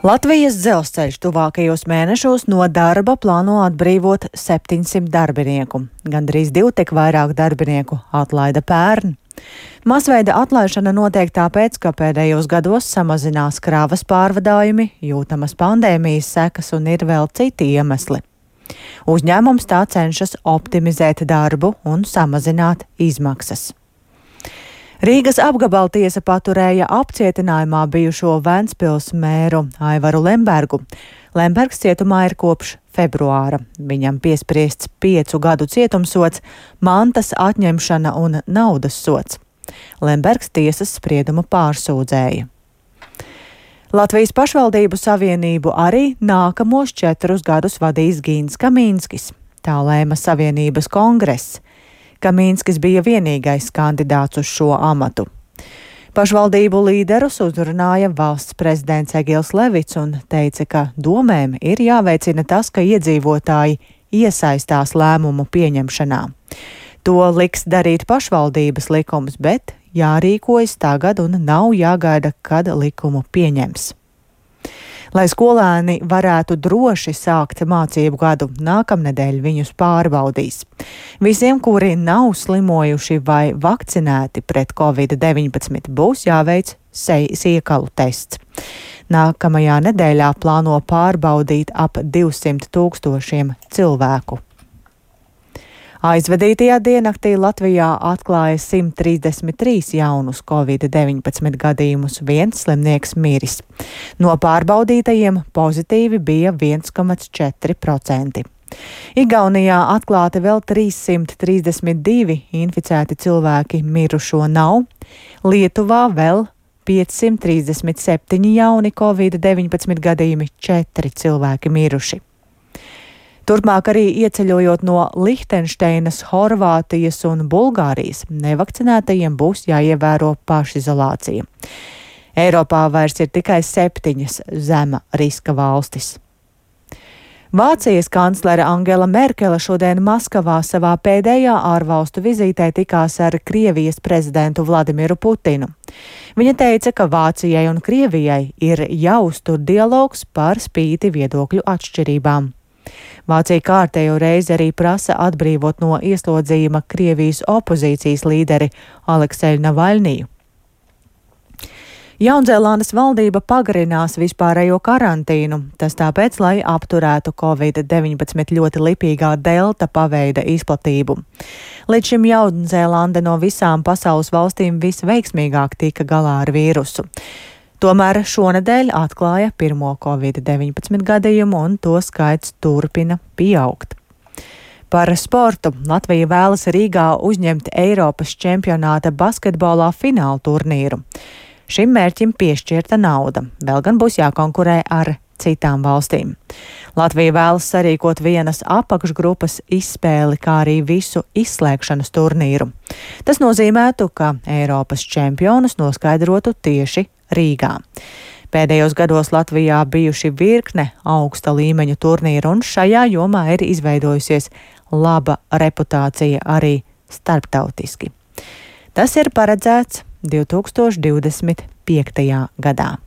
Latvijas dzelzceļš tuvākajos mēnešos no darba plāno atbrīvot 700 darbinieku. Gandrīz divtik vairāk darbinieku atlaida pērn. Masveida atlaišana notiek tāpēc, ka pēdējos gados samazinās kravas pārvadājumi, jūtamas pandēmijas sekas un ir vēl citi iemesli. Uzņēmums tā cenšas optimizēt darbu un samazināt izmaksas. Rīgas apgabaltiesa paturēja apcietinājumā bijušo Ventspils mēru Aivaru Lembergu. Lembergs cietumā ir kopš februāra. Viņam piespriests 5 gadu cietumsods, mantas atņemšana un naudas sods. Lembergs tiesas spriedumu pārsūdzēja. Latvijas pašvaldību savienību arī nākamos 4 gadus vadīs Gins Kamīnskis. Tā lēma savienības kongress. Kamīnskis bija vienīgais kandidāts uz šo amatu. Pašvaldību līderus uzrunāja valsts prezidents Egils Levits un teica, ka domēm ir jāveicina tas, ka iedzīvotāji iesaistās lēmumu pieņemšanā. To liks darīt pašvaldības likums, bet jārīkojas tagad un nav jāgaida, kad likumu pieņems. Lai skolēni varētu droši sākt mācību gadu, nākamnedēļ viņus pārbaudīs. Visiem, kuri nav slimojuši vai vakcinēti pret Covid-19, būs jāveic siekalu tests. Nākamajā nedēļā plāno pārbaudīt ap 200 000 cilvēku. Aizvadītajā diennaktī Latvijā atklāja 133 jaunus Covid-19 gadījumus, viens slimnieks miris. No pārbaudītajiem pozitīvi bija 1,4%. Igaunijā atklāti vēl 332 inficēti cilvēki, mirušo nav. Lietuvā vēl 537 jauni Covid-19 gadījumi, 4 cilvēki miruši. Turpmāk arī ieceļojot no Lihtenšteinas, Horvātijas un Bulgārijas, nevakcinētajiem būs jāievēro pašizolācija. Eiropā vairs ir tikai 7 zema riska valstis. Vācijas kanclere Angela Merkele šodien Maskavā savā pēdējā ārvalstu vizītē tikās ar Krievijas prezidentu Vladimiru Putinu. Viņa teica, ka Vācijai un Krievijai ir jāuztur dialogs par spīti viedokļu atšķirībām. Vācija kārtējo reizi arī prasa atbrīvot no ieslodzījuma Krievijas opozīcijas līderi Alekseju Navaļniju. Jaunzēlandes valdība pagarinās vispārējo karantīnu, tas tāpēc, lai apturētu Covid-19 ļoti lipīgā delta paveida izplatību. Līdz šim Jaunzēlande no visām pasaules valstīm visveiksmīgāk tika galā ar vīrusu. Tomēr šonedēļ atklāja pirmo Covid-19 gadījumu un to skaits turpina pieaugt. Par sportu Latvija vēlas Rīgā uzņemt Eiropas čempionāta basketbolā fināla turnīru. Šim mērķim piešķirta nauda, vēl gan būs jākonkurē ar citām valstīm. Latvija vēlas sarīkot vienas apakšgrupas izspēli, kā arī visu izslēgšanas turnīru. Tas nozīmētu, ka Eiropas čempionus noskaidrotu tieši Rīgā. Pēdējos gados Latvijā bijuši virkne augsta līmeņa turnīru, un šajā jomā ir izveidojusies laba reputācija arī starptautiski. Tas ir paredzēts 2025. gadā.